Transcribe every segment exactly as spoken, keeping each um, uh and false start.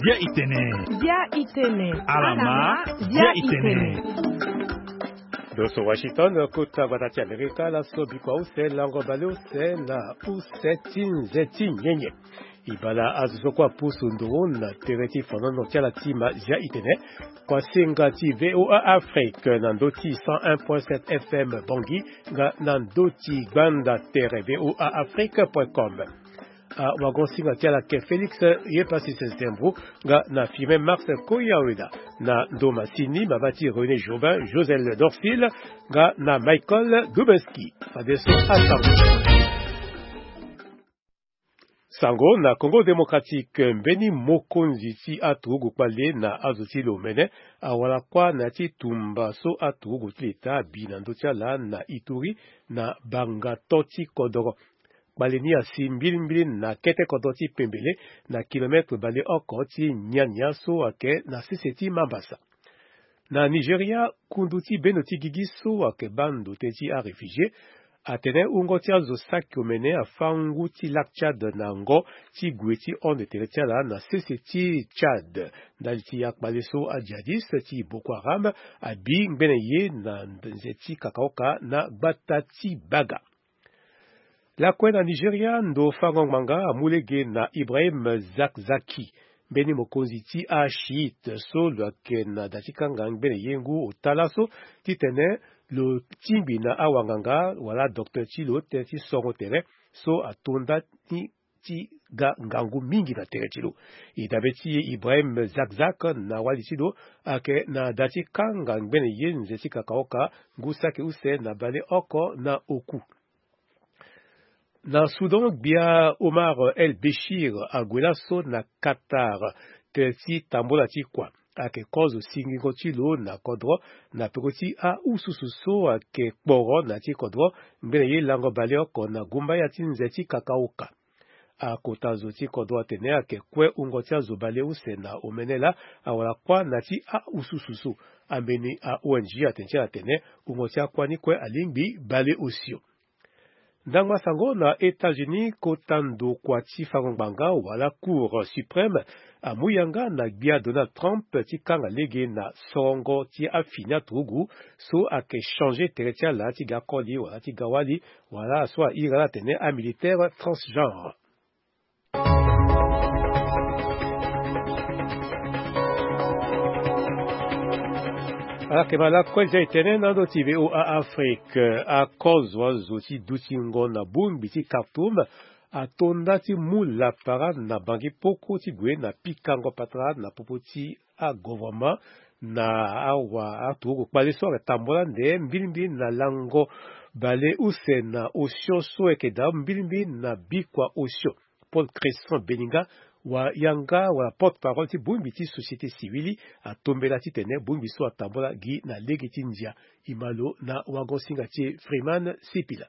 Dia itene. Dia itene. Alama. Dia itene. Doso Washington, kota gbata ti Amerika, laso bikua use lango bale use na use ti nze ti nyenye. Ibala azo so kue apusu nduru na tere ti fonono ti ala ti ma dia itene. Kua senga ti VOA Afrique na ndo ti cent un point sept F M Bangui, nga na ndo ti gbanda tere VOA Afrique point com. Awago singa ti ala ke Félix Yepassis Zembro, nga na Firmin Max Koyaweda, na ndo masini mama ti René Jobin, Josel Dorsil, nga na Michael Dubenski. Fadeso asango. Sango na Congo Démocratique, mbeni mokonzi ti aturugu kpale na azo ti lo mene awara kuâ na ya ti tumba so aturugu ti leta abi na ndö ti ala na Ituri, na bangato ti kodoro. Kpale ni asi mbilimbili na kete kodoro ti pembele, na kilometre baleoko ti niania so ayeke na sese ti Mambasa. Na Nigeria, kundu ti bendo ti gigi so ayeke baa ndo tënë ti aréfugié atene wungo ti azo saki omene afâ ngu ti Lac Tchad na ngo ti gue ti hon tere ti ala na sese ti Tchad, ndali ti akpale so ajihadiste ti Boko Haram abi ngbene ye na nze ti kakaoka na gbata ti Baga. Lakue na Nigeria, ndo fango ngbanga amu lege na Ibrahim Zakzaki, mbeni mokonzi ti achiite so lo yeke na da ti kanga ngbene ye ngu ota laso, titene lo tingbi na awanganga wala docteur ti lo tënë ti songo tere so atonda ni ti ga ngangu mingi na tere ti lo. E dabe ti e, Ibrahim Zakzak na wali ti lo ayeke na da ti kanga ngbene ye nze ti kakaoka ngu saki use na baleoko na oku. Na Soudan, gbia Omar El Béchir ague laso na Qatar, tere ti tambola ti kua. Ayeke kozo singingo ti lo na kodro na peko ti aususu so ayeke kporo na ya ti kodro, ngbene ye lango baleoko na gumbaya ti nze ti kakaoka. Akota zo ti kodro atene ayeke kue wungo ti azo baleuse na omene laa awara kuâ na ya ti aususu so. Ambeni a-O N G atene ti ala atene wungo ti akuâ ni kue alingbi baleosio. Ndangba sango na États-Unis, kota ndokua ti fango ngbanga wala Cour suprême amu yanga na gbia Donald Trump ti kanga lege na sorongo ti afini aturugu so ayeke changer tere ti ala ti ga koli wala ti ga wali, wala so ahiri ala atene amilitaire transgenre. Ala yeke ma lakue zia e tene na ndo ti VOA Afrique. Akozo azo ti dutingo na bongbi ti Khartoum atonda ti mu lapara na Bangui poko ti gue na pikango patara na popo ti agovernement na awa aturugu kpale so ayeke tambola nde mbilimbili na lango baleuse na osio so ayeke daa mbilimbili na bikua osio. Paul Cresson Beninga, wa yanga wala porte-parole ti bongbi ti société civile, atombela titene bongbi so atambola gi na lege ti ndia. E ma lo na wago-singa ti e Freeman Sipila.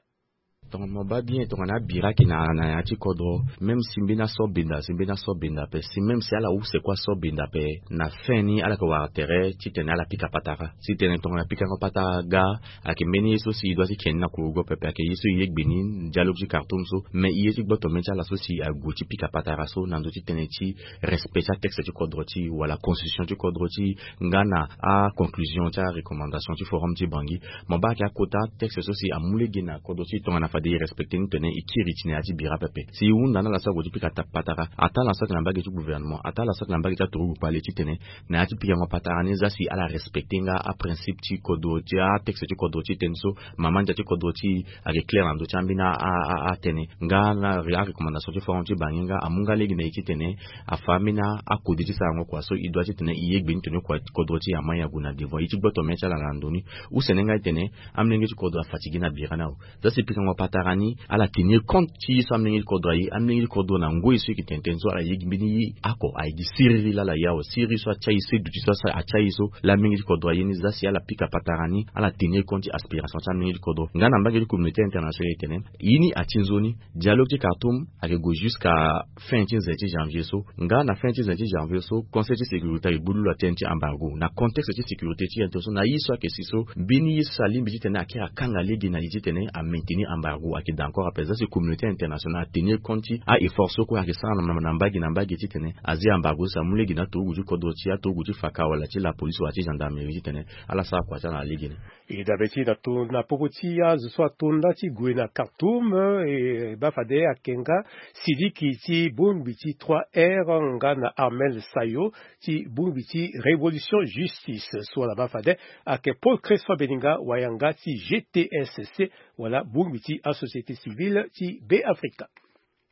Tongana mo baa bien, tongana abira ayeke na, na ya ti kodro, même si mbeni aso benda, si mbeni aso benda ape, si même si ala use kue aso benda ape, na fin ni ala yeke wara tere titene ala pika patara. Titene tongana pikango patara ga, ayeke mbeni ye so si e doit ti ke ni na kurugo pepe, ayeke ye so e yegbe ni dialogue ti Khartoum so. Mais e ye ti gboto mê ti ala so si ague ti pika patara so na ndö ti tënë ti respect ti atexte ti kodro ti e wala constitution ti kodro ti e, nga na aconclusion ti arecommandation ti forum ti Bangui. Mo baa ayeke akota texte so si amu lege na kodro ti e tongana fade e respecte ni tene e kiri ti na ya ti bira pepe. Si e hunda na ala so ague ti pika ta patara, ataa ala so ayeke na mbage ti gouvernement, ataa ala so ayeke na mbage ti aturugu kpale titene na ya ti pikango patara ni, zia si ala respecte nga aprincipe ti kodro ti atexte ti kodro ti e tënë so, mama ndia ti kodro ti e ayeke clair na ndö ti ambeni a, a, a, atënë. Nga na re-, arecommandation ti forum ti Bangui nga amu nga lege na e titene afa ambeni akode ti sarango kua so e doit titene e yegbe ni tene kua kodro ti e amai ague na devant. E ti gboto mê ti ala na ndo ni. Use ni nga e tene amolenge ti kodro afatigué na bira ni awe. Zia si pikango patara Tara ni ala tenir compte ti ye so amlenge ti kodro aye. Amlenge ti kodro na ngoi so e yeke tene tënë so ala ye gi mbeni ye oko aye gi siriri laa ala ye awe. Siriri so atia ye so e duti so asa atia ye so laa amlenge ti kodro aye ni za si ala pika patara ni ala tenir compte ti aspiration ti amlenge ti kodro. Nga na mbage ti communauté internationale e tene ye ni ati nzoni. Dialogue ti Khartoum ayeke gue jusqu'à fin ti nze ti janvier so. Nga na fin ti nze ti janvier so, conseil ti sécurité ayeke gbu lulu atene ti embargo na contexte ti sécurité ti yen so na ye so ayeke si so mbeni ye so alingbi titene akiri akanga lege na li titene amaintenir embargo ayeke daa encore ape. Za si communauté internationale atenir compte ti a-effort so kue ayeke sara na mbage na mbage titene azia embargo so amu lege na aturugu ti kodro ti aturugu ti faka wala ti lapolice wala ti gendarmerie titene ala sara kua ti ala na legeni. E dabe ti na to na popo ti azo so ato nda ti gue na Khartoum, e baa fade ayeke nga sidiki ti bongbi ti trois R nga na Armel Sayo ti bongbi ti Révolution Justice so ala baa fade ayeke Paul Crescent Beninga wayanga ti G T S C wala bongbi ti asociété civile ti Beafrika.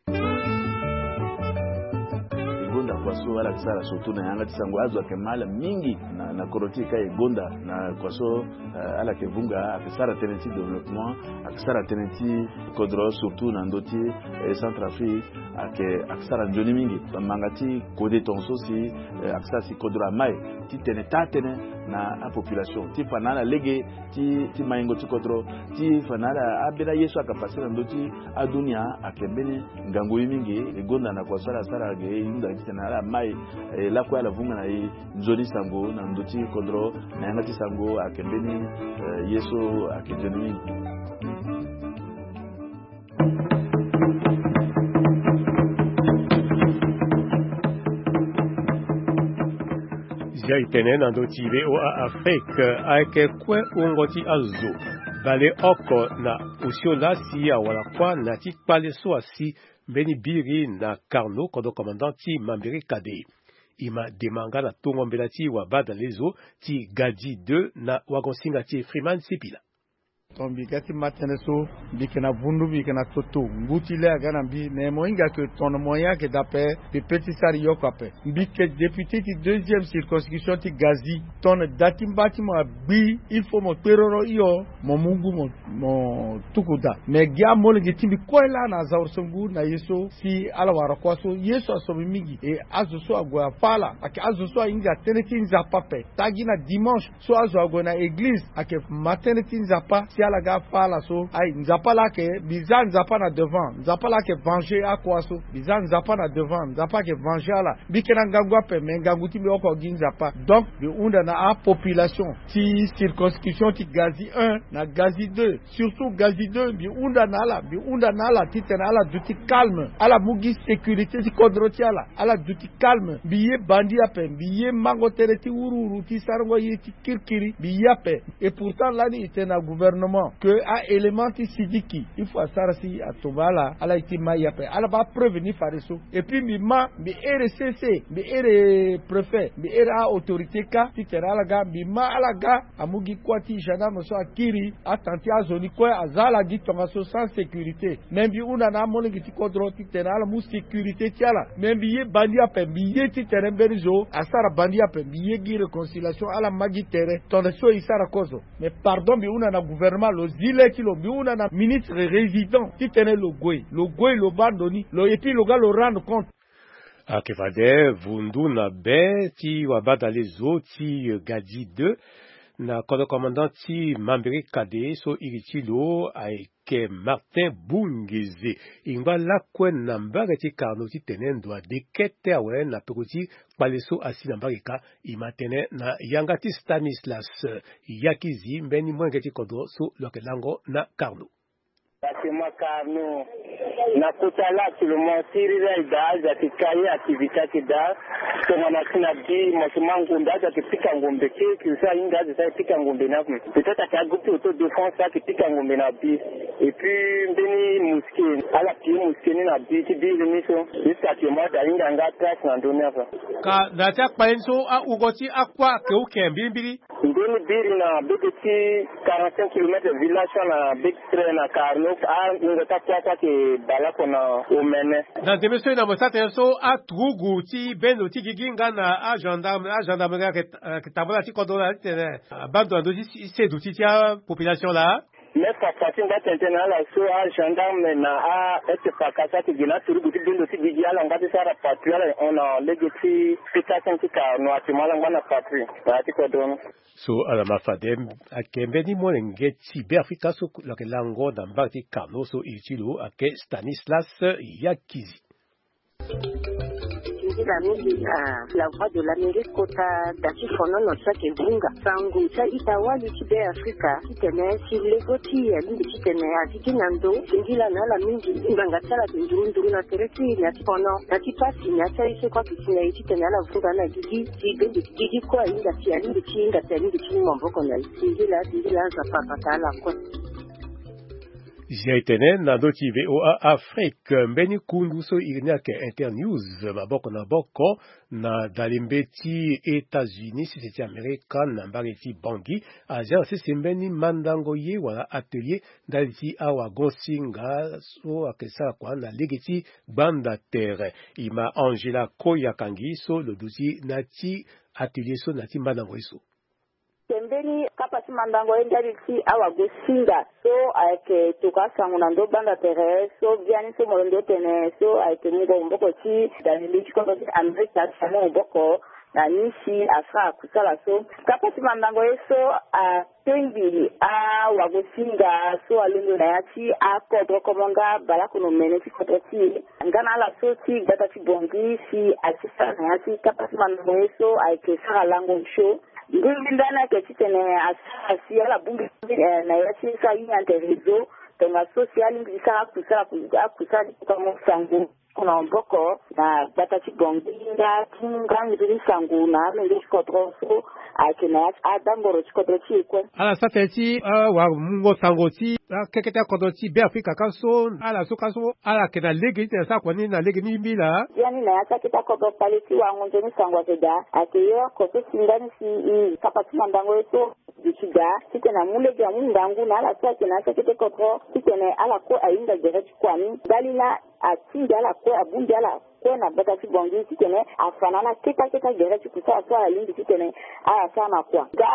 E gonda kua so ala yeke sara surtout na yanga ti sango azo ayeke ma ala mingi na, na kodro ti e ka e gonda na kua so, eh, ala yeke vunga ayeke sara tënë ti développement, ayeke sara tënë ti kodro surtout na ndö ti, eh, Centrafrique ayeke, ayeke sara nzoni mingi. Bamanga ti kode tongaso si, eh, ayeke sara si kodro amai titene taa tënë na apopulation ti fa na ala lege ti, ti maingo ti kodro ti fa na ala ambeni aye so ayeke pase na ndö ti adunia ayeke mbeni ngangu ye mingi. E gonda na kua so ala sara ge e hunda titene ala mai, eh, lakue ala vunga na e nzoni sango na ndö ti kodro na yanga ti sango ayeke mbeni, eh, ye so ayeke nzoni mingi. Zia e tene na ndö ti V O A Afrique ayeke kue wungo ti azo baleoko na osio laa si awara kuâ na ti kpale so asi mbeni biri na Carnot, kodro commandant ti Mambéré Cadet. E ma dema nga na tongo mbela ti wabadalezo ti Gadi deux na wagonsinga ti e Freeman Sipila. Ton mbi ga ti ma tënë so, mbi yeke na vundu, mbi yeke na toto, ngu ti le aga na mbi, me mo hinga ke ton na mo ye ayeke daa ape, mbi pe ti sara e oko ape. Mbi yeke député ti deuxième circonscription ti Gazi. Ton na da ti mba ti mo agbi, il faut mo kperoro hio, mo mu ngu mo, mo tuku daa. Me gi amolenge ti mbi kue laa na aza woro so ngu na ye so si ala wara kuâ so, ye so aso mbi mingi. E azo so ague afâ ala ayeke azo so ahinga tënë ti Nzapa ape. Taa gi na dimanche so azo ague na eglize ayeke ma tënë ti Nzapa si ala ga afâ ala so. Ayi, Nzapa laa ayeke, mbi za Nzapa na devant, Nzapa laa ayeke venger akuâ so. Mbi za Nzapa na devant, Nzapa ayeke venger ala. Mbi yeke na ngangu ape, me ngangu ti mbi oko gi Nzapa. Donc mbi hunda na apopulation ti circonscription ti Gazi un na Gazi deux, surtout Gazi deux, mbi hunda na ala, mbi hunda na ala titene ala duti calme, ala mu gi sécurité ti kodro ti ala, ala duti calme. Mbi ye bandi ape, mbi ye mango tënë ti wuruwuru ti sarango ye ti kirikiri, mbi ye ape. Et pourtant lani e tene na gouvernement ke a-élément ti sidiki, il faut asara si atomba ala, ala ye ti ma ye ape, ala baa preuve ni fade so. Et puis mbi ma, mbi here C C, mbi here préfet, mbi here a-autorité kâ titene ala ga, mbi ma ala ga, amu gi kuâ ti gendarme so akiri, atang ti azo ni kue aza ala gi tongaso sans sécurité. Me mbi hunda na amolenge ti kodro titene ala mu sécurité ti ala. Me mbi ye bandi ape, mbi ye titene mbeni zo asara bandi ape, mbi ye gi réconciliation, ala ma gi tere, tongana so e sara kozo. Mais pardon, mbi hunda na gouvernement, lo zi le ti lo, mbi hunda na ministre résident titene lo gue, lo gue, lo baa ndo ni, lo, et puis lo ga lo rendre compte. Ayeke fade vundu na be ti wabadalezo ti Gadi deux na kodro commandant ti Mambéré Cadet so iri ti lo ayeke Martin Bungeze. E ngba lakue na mbage ti Carnot titene ndo ade kete awe na peko ti kpale so asi na mbage kâ. E ma tënë na yanga ti Stanislas Yakizi, mbeni molenge ti kodro so lo yeke lango na Carnot. Bâtiment Carnot. Na kota la actuellement, siriri ayeke daa, azo ayeke ka ye, activité ayeke daa. Tongana si na bi, mo si ma ngombe, azo ayeke pika ngombe, ke, ke so ahinga azo so ayeke pika ngombe ni ape. Peut-être ayeke agroupe ti autodéfense ayeke pika ngombe na bi. Et puis mbeni mosquée, ala pillé mosquée ni na bi ti biri ni so. Jusqu'à actuellement azo ahinga nga trace na ndö ni ape. Ka na ya ti akpale ni so, awungo ti akuâ ayeke oke mbirimbiri. Mbeni biri na bege ti quarante-cinq kilomètres village so na bege ti tren na Carnot, awungo ti akuâ so ayeke bale oko na omene. Na ndembe so e na mo sara tënë so, aturugu ti bendo ti gigi nga na agendarme, agendarme ayeke, ayeke tambula ti kodro laa titene abaa ndo na ndö ti seduti ti apopulation laa. Me fa fa ti ngba tene tënë na ala so agendarme na a-S P A K so ayeke gi na aturugu ti bendo ti gigi ala ngba ti sara patrouille ala hon na lege ti pétation ti carno ayeke mu ala ngba na patrouille na ya ti kodro ni. So ala ma fade ayeke mbeni molenge ti Beafrika so lo yeke lango na mbage ti carno so iri ti lo ayeke Stanislas Yakizi. Nzila mingi na La Voix de l'Amérique kota da ti fonono so ayeke vunga sango ti a-ita wali ti Beafrika titene si lego ti e alingbi titene azi gi na ndo. Singila na ala mingi ngbanga ti ala ayeke nduru nduru na tere ti e na ya ti fono na ti pasi na ya ti aye so kue ayeke si na e titene ala vunga na gigi si bende ti gigi kue ahinga si alingbi ti hinga si alingbi ti mu maboko na e. Singila singila aza papa ta ala kue. Zia e tene na ndö ti V O A Afrique mbeni kundu so iri ni ayeke Internews maboko na maboko na dalembe ti États-Unis sese ti Amerika na mbage ti Bangui azia na sese mbeni mandango ye wala atelier ndali ti awagon-singa so ayeke sara kua na lege ti gbanda tere. E ma Angela Koyakangi so lo duti na ya ti atelier so na ya ti mandango ye so. Tembeni kapa ti mandango ye ndali ti awago-singa so ayeke tokua asango na ndö gbanda tere so biani so mo londo tene so ayeke mungo maboko ti dalembe ti kodro ti Amerika ti amu maboko na ni si asara kusala so. Kapa ti mandango ye so atengbi awago-singa so alondo na ya ti akodro komo nga balakono mene ti kodro ti e nga na ala so ti gbata ti Bangui si ayeke sara na ya ti kapa ti mandango ye so ayeke sara lango nso. Ndingbi ndani ayeke titene asara si ala bongbi na ya ti so ahinga ande réseau tongaso si alingbi ti sara akusala akusala ti kokango sango na maboko na gbata ti Bangui nga ti nga nzoni sango na amenge ti kodro so ayeke na ya ti adangoro ti kodro ti e kue. Ala sara tënë ti awamungo sango ti akeke ti akodro ti Beafrika kâ so ala so kâ so ala yeke na lege titene asara kua ni na lege ni mbila. Biani na ya ti akete akodro kpale ti wango nzoni sango ayeke daa ayeke ye oko so si ndani si i kapa ti mandango ye so. Duti daa titene amu lege amu ngangu na ala so ayeke na ya ti akete kodro titene ala kue ahinga gere ti kua ni ndali na atingbi ala kue abongbi ala kue na gbata ti Bangui titene afa na ala kete akete agere ti kusala so ala lingbi titene ala sara na kua. Nga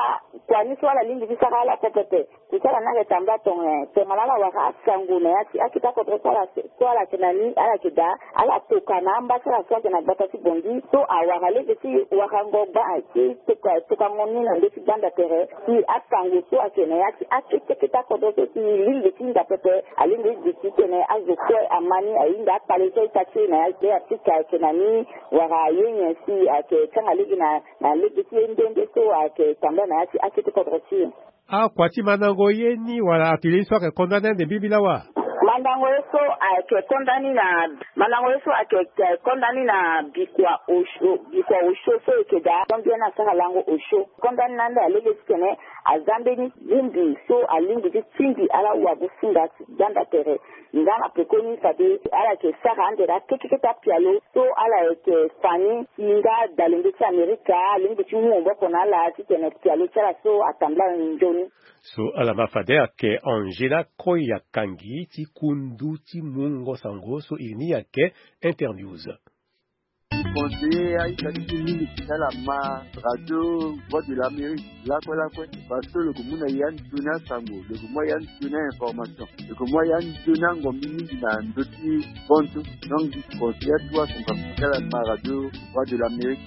kua ni so ala lingbi ti sara ala pepepe. Kusala ni ayeke tambula tongana tongana ala wara asango na ya ti akete akodro so ala so ala yeke na ni ala yeke daa ala toka na amba ti ala so ayeke na gbata ti Bangui so awara lege ti warango gba ti toka tokango ni na ndö ti gbanda tere si asango so ayeke na ya ti akete kete akodro so si lingbi ti hinga pepe alingbi ti duti titene azo kue ama ni ahinga akpale so aita ti e na ya ti Afrika ayeke na ni wala aye nyen si ayeke kanga lege na na lege ti ye nde nde so ayeke tambula na ya ti akete kodro ti e. Akua ti mandango ye ni wala atelier so ayeke konda ni ande mbimbi lawa? Mandango ye so ayeke konda ni na mandango ye so ayeke konda ni na bikua osio bikua osio so eke daa so mbia ni asara lango osio konda ni na ande alege titene aza mbeni bongbi so alingbi ti tingbi ala wago-singa ti gbanda tere. Nga na pekoni fade ala yeke sara ande na keke kete apialo so ala yeke fa ni si nga dalembe ti Amerika alingbi ti mu maboko na ala titene pialo ti ala so atambula nzoni. So ala ma fade ayeke Angela Koyakangi ti kundu ti mungo sango so iri ni ayeke Internews. Conseiller aita ti e mingi ti ala ma radio Voix de l'Amérique lakue lakue parce que lo yeke mu na e ya nzoni asango lo yeke mu ya nzoni a-information lo yeke mu ya nzoni angombi mingi na ndö ti bontu. Donc conseiller atuwa son kama ti ala ma radio Voix de l'Amérique.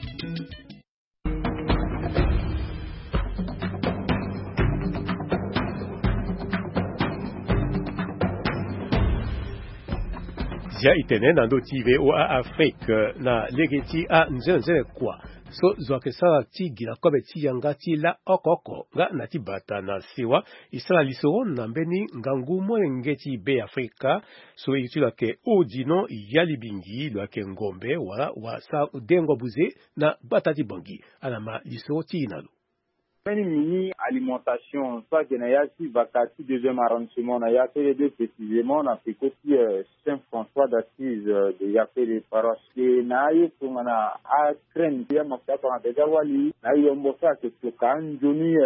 Zia e tene na ndö ti V O A Afrique na lege ti anzenenzene kua so zo ayeke sara ti gi na kobe ti yanga ti laa oko oko nga na ti bata na sewa e sara lisoro na mbeni ngangu molenge ti Beafrika so iri ti lo ayeke Odino Yalibingi lo ayeke ngombe wala wasara dengo buze na gbata ti Bangui. Ala ma lisoro ti e na lo. Mbeni mini alimentation so ayeke na ya ti vaka ti deuxième arrondissement na Yafele deux précisément na peko ti Saint François d'Assise de Yafele paroisse. E na aye tongana acraine ti amafuta tongana déjà wali na ayombo so ayeke toka anzoni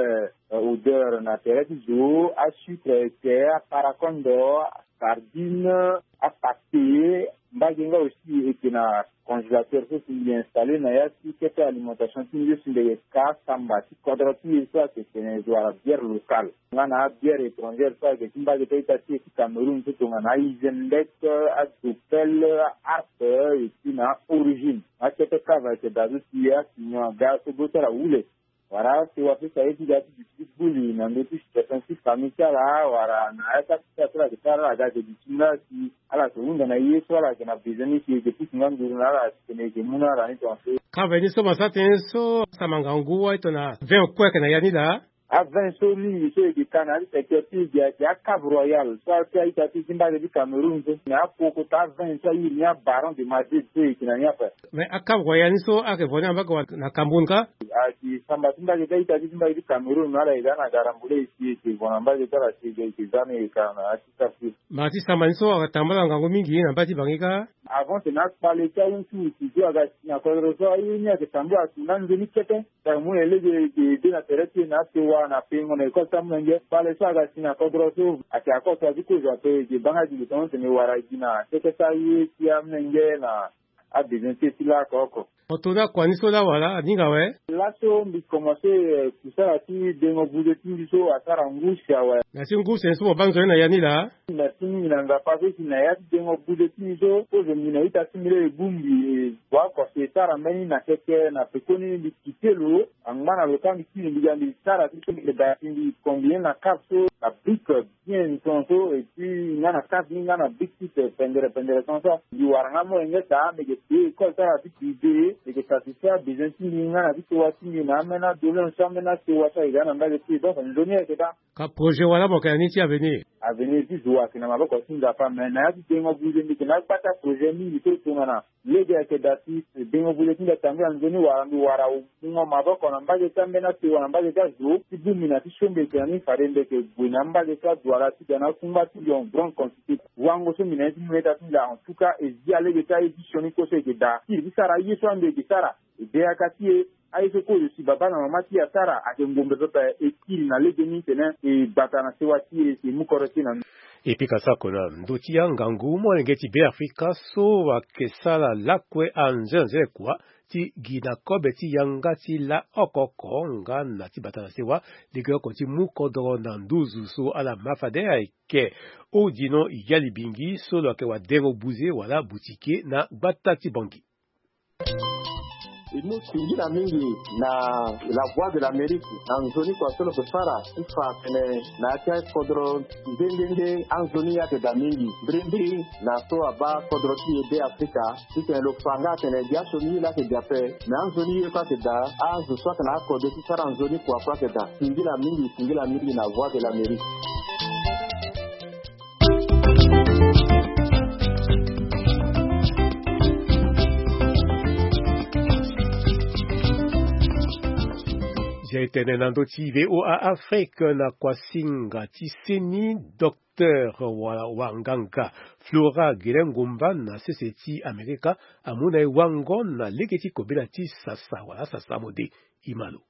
odeur na tere ti zo, asucre ete, aparakondo, asardine, apate. Mbage nga aussi e yeke na congélateur so si mbi installé na ya ti kete alimentation ti mbi so si mbi yeke ka samba ti kodro ti e so ayeke tene zo wala bière locale nga na abière étrangère so ayeke ti mbage ti a-ita ti e ti Cameroun so tongana a-Isenbeck, a-Dopel, a-Harp, et puis na a-Origine. Akete cave ayeke daa so si asinyon aga so bro ti ala wule. Wala asewa so si aye ti ga ti duti ti buli na ndö ti situation ti famille ti ala wala na ya ti akita so ala yeke sara ala ga ayeke duti nga si ala yeke hunda na ye so ala yeke na besoin ni si e yeke pusu nga nduru na ala si tene e yeke mu na ala ni tongaso. Cave ni so mo sara tënë so asara ngangu wâ e tongana vin kue ayeke na ya ni laa. Avin so mingi so e yeke ka na ya ti secteur ti e gi ayeke a-Cave Royal so a-ita ti e ti mbage ti Cameroun so na akokota avin so a iri ni a-Baron de Madrid so e yeke na ni ape. Mais a-Cave Royal ni so ayeke vo ni na mbage wala na Cameroun kâ? Ayeke samba ti mbage ti a-ita ti e ti mbage ti Cameroun ala yeke za na garambule e si e yeke vo na mbage ti ala si e yeke za ni e yeke ka na ya ti sara ti e. Mbage ti samba ni so ayeke tambula ngangu mingi na mbage ti Bangui kâ. Avant tene akpale ti awutu si so aga si na kodro so aye ni ayeke tambula asu na nzoni kete. Tara mu na e lege e de na tere ti e na asewa na pengo na école ti amolenge. Kpale so aga si na kodro so ayeke akota ti kozo ape e yeke baa nga gi lo tongana tene e wara gi na kete ti aye ti amolenge na abezoin ti e ti laoko oko. Mo to ni akua ni so laa wala aninga awe? Laso mbi komanse, eh, kusala ti dengo buze ti mbi so asara ngu si awe. Na ya ti ngu si ni so mo baa nzoni na ya ni laa? Merci mingi na Nzapa so si na ya ti dengo buze ti mbi so kozo mbi na ita ti mbi laa e bongbi, eh, bua oko si e sara mbeni na keke na pekoni mbi kite lo. Angba na lo kâ mbi kiri mbi ga mbi sara ti so mbi yeke daa si mbi combiner na cave so na brique bien tongaso et puis nga na cave ni nga na brique ti pendere pendere tongaso. Mbi wara nga molenge daa mbi yeke payé école ti ala ti privé, mbi yeke satisfaire abezoin ti mbi nga na ti sewa ti mbi na ambeni adoléance so ambeni asewa so ayeke ga na mbage ti e. Donc nzoni ayeke daa. Ka projet wala mo yeke na ni ti avenir? Avenir ti zo ayeke na maboko ti Nzapa, mais na ya ti dengo buze mbi yeke na agbata projet mingi so tongana lege ayeke daa si dengo buze ti mbi atambula nzoni wala mbi wara mungo maboko na mbage ti ambeni asewa na mbage ti azo ti bongbi na ti so mbi yeke na ni fade mbi yeke gue na mbage ti adwala ti ga na akungba ti lion grande quantité. Wango so mbi na ye ti mu na ita ti mbi laa en tout cas e zi alege ti aye ti sioni kue so e yeke daa ti e ti sara aye so ande e yeke sara e be yaka ti e. Aye so kozo si babâ na mama ti e asara ayeke ngombe pepe e kiri na legeni tene e gbata na sewa ti e si e mu kodro ti e na ni. E pika sako na ndö ti angangu molenge ti Beafrika so ayeke sara lakue anzenze kua ti gi na kobe ti yanga ti laoko oko nga na ti bata na sewa legeoko ti mu kodro na nduzu so ala ma fade ayeke Odino Yalibingi so lo yeke wadengo buze wala butike na gbata ti Bangui. E mu singila mingi na La Voix de l'Amérique na nzoni kua so lo yeke sara ti fa atene na ya ti akodro nde nde nde anzoni ayeke daa mingi mbirimbiri na so abaa kodro ti e Beafrika titene lo fa nga atene gi asioni ye laa ayeke daa ape. Me anzoni ye kue ayeke daa azo so ayeke na akode ti sara nzoni kua kue ayeke daa. Singila mingi, singila mingi na Voix de l'Amérique. Zia e tene na ndö ti V O A Afrique na kuasinga ti seni, docteur wala wanganga Flora Guilin Ngomba na sese ti Amerika amu na e wango na lege ti kobela ti sasa wala sasa mode. Imalo.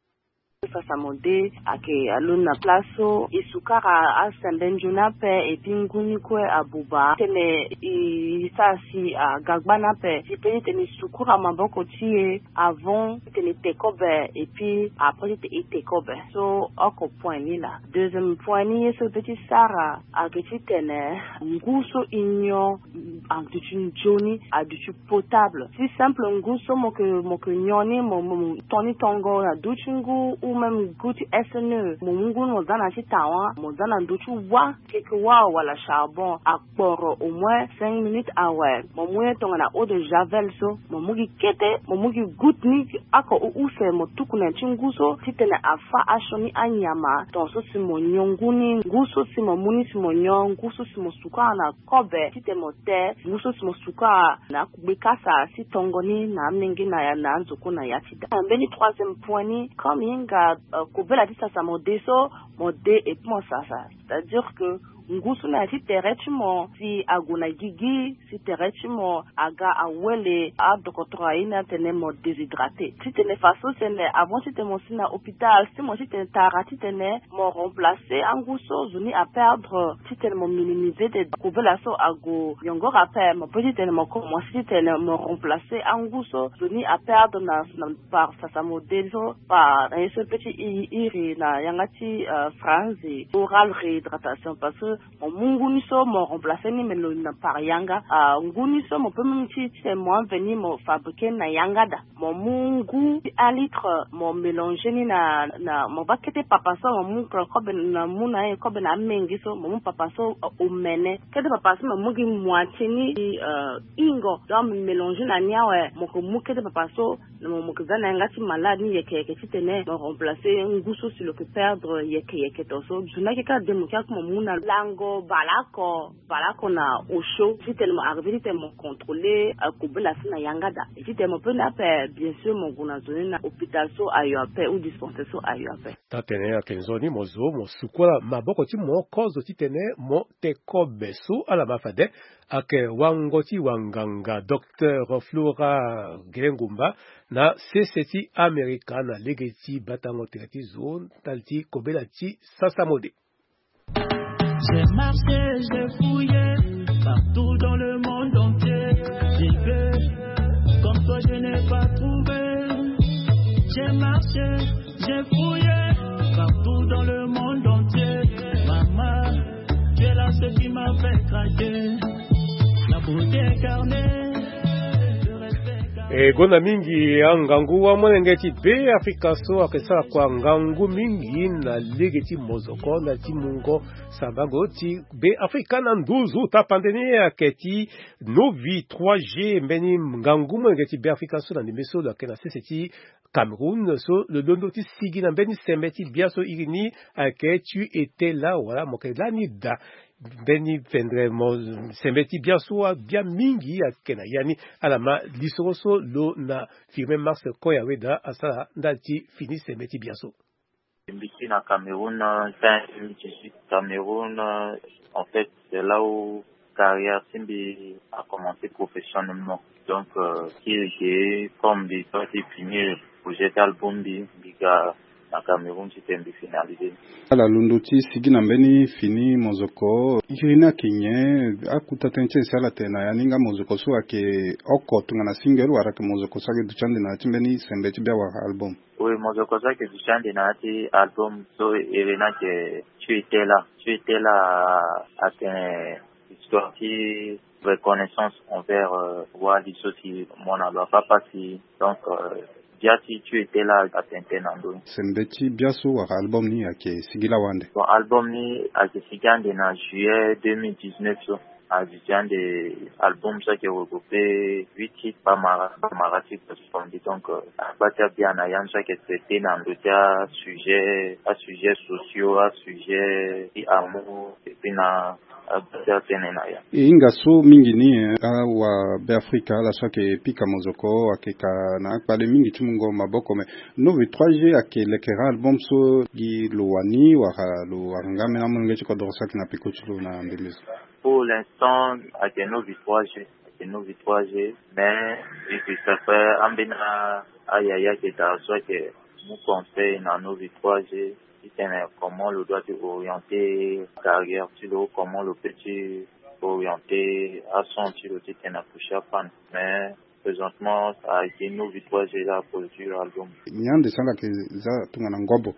Sasa mode ayeke alondo na place so e sukara asende nzoni ape, et puis ngu ni kue abuba tene e sara si aga gbani ape. E peut ti tene e sukura maboko ti e avant titene e te kobe, et puis après titene e te kobe. So oko point ni laa. Deuxième point ni ye so e peut ti sara ayeke titene ngu so e nyon aduti nzoni, aduti potable. Si simple ngu so mo yeke, mo yeke nyon ni, mo, mo, mo to ni tongo na duti ngu ou même ngu ti S N E, mo mu ngu ni mo za na ya ti tawa, mo za na ndö ti wâ, keke wâ wala charbon, akporo au moins cinq minutes awe. Mo mu ye tongana eau de javel so, mo mu gi kete, mo mu gi goutte ni, oko u- use mo tuku na ya ti ngu so titene afâ asioni anyama. Tongaso si mo nyon ngu ni, ngu so si mo mu ni si mo nyon, ngu so si mo sukara na kobe titene mo te, ngu so si mo sukara na akugbe kasa si tongo ni na amenge na ya na anzoko na ya ti da. Mbeni troisième point ni, comme e hinga, euh, kobela ti sasa mo de so, mo de et puis mo sasa. C'est-à-dire que Ngu so na ya ti tere ti mo si ague na gigi, si tere ti mo aga awele adokotoro aye ni atene mo déshydraté. Titene faso tene avant titene mo si na hôpital, si mo titene tara titene mo remplacer angu so zo ni aperdre, titene mo minimiser de kobela so ague yongoro ape, mo pe titene mo commencer titene mo remplacer angu so zo ni aperdre na, na par sasa mo de so, par na ye so pe ti i iri na yanga ti, euh, franzi, oral réhydratation, parce que mo mu ngu ni so mo remplacer ni, mais lo na par yanga, ah, ngu ni so mo pe même ti, ti mo enveni mo fabriquer na yanga da. Mo mu ngu ti un litre, mo mélanger ni na, na mo baa kete papa so, mo mu kobe na, mu na ye kobe na amenge so, mo mu papa so, euh, omene. Kete papa so mo mu gi moitié ni, euh, ingo. Donc mo mélanger na ni awe, mo ke mu kete papa so, na mo, mo ke za na yanga ti malade ni yeke yeke titene mo remplacer ngu so si lo ke perdre yeke yeke to so. Zo ni ayeke kâ de mo ke aku mo mu na lango baleoko, baleoko na osio, titene mo arriver titene mo contrôler, euh, kobela so na yanga da. Et titene mo pe ni ape, bien sûr, mo gue na zo ni na hôpital so ayo ape ou dispensaire so ayo ape. Taa-tene ayeke nzoni mo zo mo sukola maboko ti mo kozo titene mo te kobe so ala ma fade. Ayeke wango ti wanganga Docteur Flora Gelengumba na sese ti Amerika na lege ti batango tere ti zo ndali ti kobela ti sasa mode. J'ai marché, j'ai fouillé partout dans le monde entier. J'ai vu comme toi, je n'ai pas trouvé. J'ai marché, j'ai fouillé partout dans le monde entier. Maman, tu es là, ce qui m'a fait craquer. La beauté incarnée, le respect incarné. E gonda mingi angangu wa molenge ti Be Afrika so ayeke sara kua ngangu mingi na lege ti mozoko na ti mungo sambango ti Be Afrika na nduzu tapande ni ayeke ti Novi trois G, mbeni ngangu molenge ti Be Afrika so na ndembe so lo yeke na sese ti Cameroun so lo londo ti sigi na mbeni sembe ti bia so iri ni ayeke Tu étais là, wala mo yeke lani daa mbeni fendre mo sembe ti bia so abia mingi ayeke na ya ni. Ala ma lisoro so lo na Firmin Mars Koya Weda asara ndali ti fini sembe ti bia so. Mbi ti na Cameroun, fin deux mille dix-huit Cameroun, en fait, c'est là où carrière ti mbi a commencé professionnellement. Donc, euh, ti eke comme mbi doit ti finir projet ti album mbi, mbi ga na Cameroun titene mbi finaliser. Ala londo ti sigi na mbeni fini mozoko, iri ni ayeke nyen? Akuta tënë ti e si ala tene na ya ni nga mozoko so ayeke oko tongana single wala ayeke mozoko so ayeke duti ande na ya ti mbeni sembe ti bia wala album? Oui, mozoko so ayeke duti ande na ya ti album so iri ni ayeke Tu étais là. Tu étais là atene histoire ti reconnaissance envers, euh, wali so si mo na lo afa pasi. Donc, euh, bia ti Tu étais là atene tënë na ndö ni. Sembe ti bia so wala album ni ayeke sigi lawa ande? Bon, album ni ayeke sigi ande na juillet deux mille dix-neuf so. Ayeke sigi ande album so ayeke regrouper huit titres, Bamara, Bamara ti gospel. Donc, euh, agba ti abia na ya ni so ayeke traiter na ndö ti asujet, asujet sociaux, asujet ti amour, et puis na agba ti atënë na ya. E hinga so mingi ni, eh, awa Beafrika ala so ayeke pika mozoko ayeke ka na akpale mingi ti mungo maboko, me Novi trois G ayeke lekere album so gi lo wani wala lo wara nga ambeni amolenge ti kodoro so ayeke na peko ti lo na ndembe so? Pour l'instant ayeke Novi trois G, ayeke Novi trois G, mais mbi ke sara ambeni ayaya ayeke daa so ayeke mu conseil na Novi trois G titene comment lo doit ti orienter carrière ti lo, comment lo peut ti orienter ason ti lo titene apousse apan. Mais présentement ayeke Novi trois G la produire album. Nyen ande so ala yeke za tongana ngobo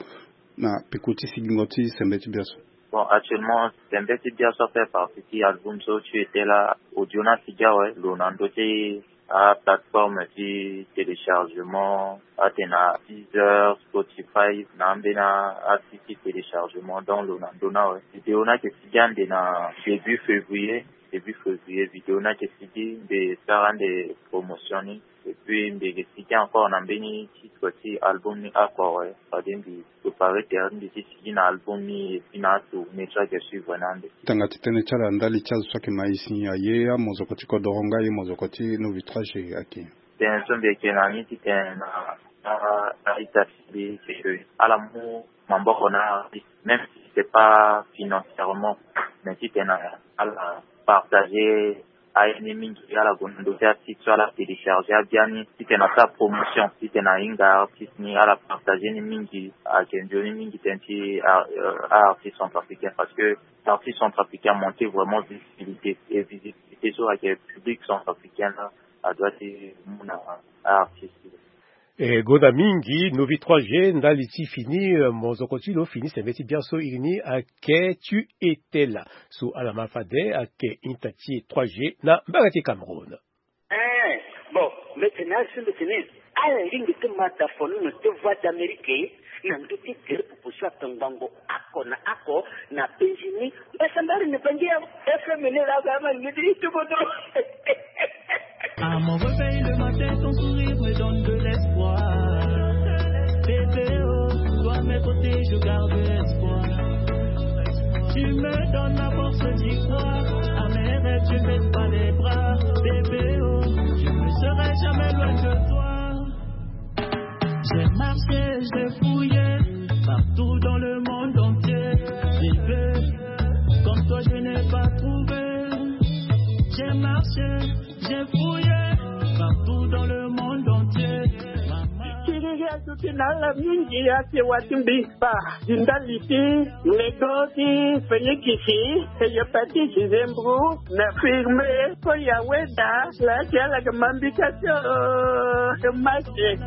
na peko ti sigingo ti sembe ti bia so? Bon, actuellement sembe ti bia so afaire partie ti album so Tu étais là, audio ni asigi awe, lo na ndö ti aplateforme ti téléchargement, atene na Deezer, Spotify, na ambeni asite ti téléchargement, donc lo na ndö ni awe. Vidéo ni ayeke sigi ande na début février, début février vidéo ni ayeke sigi, mbi sara ande promotion ni. Et puis mbi yeke sigi encore na mbeni titre ti album ni oko awe, fade mbi préparer tere ti mbi ti sigi na album ni et puis na atournée so ayeke suivre ni ande. Tanga ti tënë ti ala ndali ti azo so ayeke ma e si aye amozoko ti kodoro nga aye mozoko ti Novi trois G ayeke? Tënë so mbi yeke na ni titene na a-ita ti mbi c'est que ala mu maboko na artiste, même si c'est pas financièrement. Mais titene ala partager aye ni mingi, ala gue na ndo ti artiste so ala télécharger abiani titene asara promotion, titene ahinga artiste ni, ala partager ni mingi. Ayeke nzoni mingi tënë ti artiste centrafricain, parce que artiste centrafricain amonte vraiment visibilité, et visibilité so ayeke public centrafricain la adoit ti mu na artiste. E gonda mingi novi trois g ndali ti fini mozoko ti lo fini sembe ti bian so iri ni ake tu etela so ala ma fade ake inta ti trois g na mbage ti Cameroun. Eh, bon, mbeti na asi mbeti ni ala lingbi ti ma da fo nono ti Voix d'Amérique na ndö ti tere pupu so ato ngbangbo oko na oko na Benjini. Mbasambari ni bangi ya F M ni la ga ma ni di tubodo. À mon réveil le matin, ton sourire me donne de l'espoir. Bébé, oh, toi, à mes côtés, je garde espoir. Tu me donnes la force d'y croire. À mes rêves, tu baisses pas les bras. Bébé, oh, je ne serai jamais loin de toi. J'ai marché, j'ai fouillé partout dans le monde entier. Bébé, comme toi, je n'ai pas trouvé. J'ai marché, j'ai fouillé partout dans le monde entier. Maman. Siriri aduti na ala mingi ake wati mbi. Ba di ndali ti lego ti fenyikisi, hépatite, nzembru na firme. Ko ya weda la ti ala ke mambika ti o ke mase.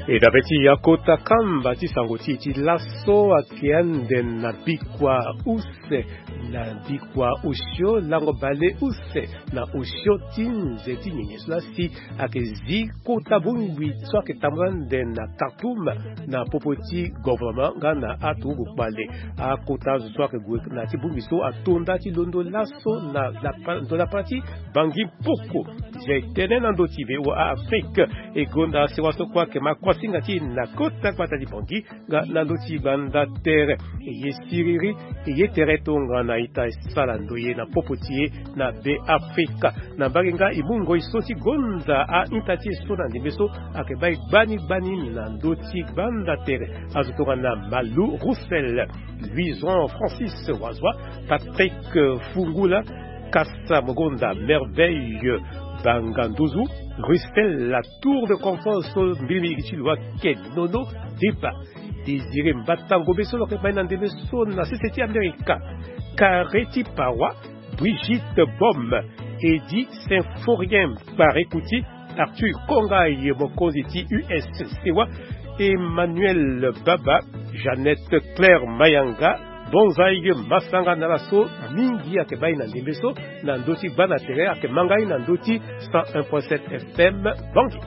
E dabe ti akota kamba ti sango ti e ti laso ake ande na bikua use, na bikua osio lango bale use na osio ti nze ti nyenye so lasi ake zi kota bongbi so ake tambula ande na Khartoum na popo ti gouvernement nga na aturugu kpale. Akota azo so ake gue na ti bongbi so ato nda ti londo laso na lapa, ndo lapa ti Bangui Mpoko. Zia e tene na ndö ti V O A Afrique. E gonda sewa so kue ake ma kuasinga ti e na kota gbata ti Bangui nga na ndö ti gbanda tere. E ye siriri, e ye tere tongana ita e sara ndoye na popo ti e na Be Afrika. Na mbage nga e mu ngoi so ti gonda a-ita ti e so na ndembe so ake bai gbani gbani na ndö ti gbanda tere. Azo tongana Malou Roussel, Louison Francis Wazwa, Patrick Fungula, Kasa Mogonda, Merveille Banganduzu, Russell, la tour de contrôle so mbiri mingi ti lo ake Nono Deba, Désiré Mbatango be so lo yeke mai na ndembe so na sese ti Amerika, Kareti Pawa, Brigitte Bom, Eddy Symphorien Kparekuti, Arthur Kongai, mokonzi ti U S C wa, Emmanuel Baba, Jeannette Claire Mayanga, Bonzai Masanga na ala so mingi ake bai na ndembe so na ndö ti gbanda tere ake ma ngai na ndö ti cent un point sept F M Bangui.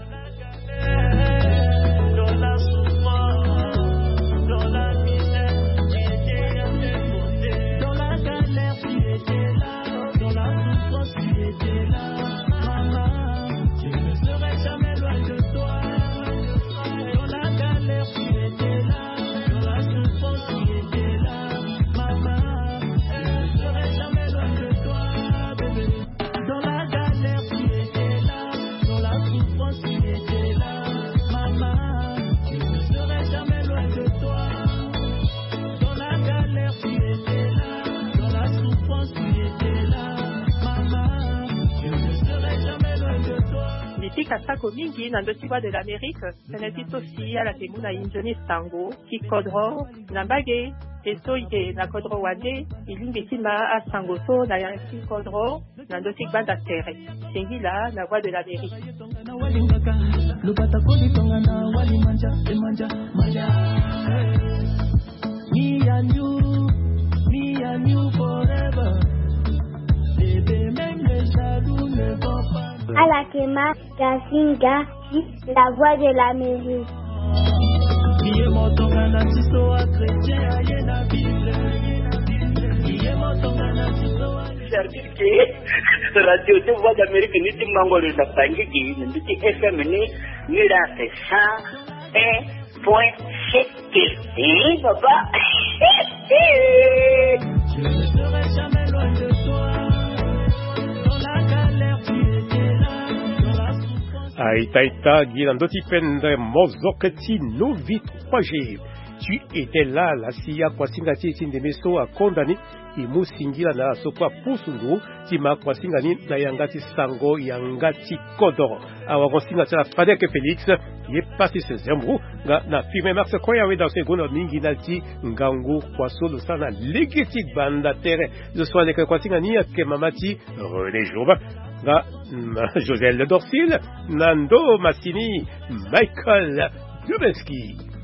Mbi pika sako mingi na ndö ti Voix de l'Amérique, tënë ti so si ala yeke mu na e nzoni sango ti kodro na mbage. E so e yeke na kodro wande, e lingbi ti ma asango so na ya ti kodro na ndö ti gbanda tere. Singila na Voix de l'Amérique. Ala yeke ma Gasinga, la Voix de l'Amérique. Article ke radio de Voix d'Amérique ni ti mango lo na bangi gi na mbi ti F M ni. Ni la c'est cent un point sept. Eh, papa. Aita ita gi na ndö ti pendre mozoke ti Novi trois G. Tu étais là, la si akuasinga ti e ti ndeme so akonda ni. E mu singila na ala so kue apusu ngu ti ma akuasinga ni na yanga ti sango yanga ti kodoro. Awagosinga ti ala Fadek Félix, ye Pasis Zembou, nga na Firmin Max Koya, we da so e gonda mingi na ti ngangu kua so lo sara na lege ti gbanda tere. Zo so aleke kuasinga ni ayeke mama ti René Jourba, nga Josel Dorsil, na ndo masini Michael Dubenski.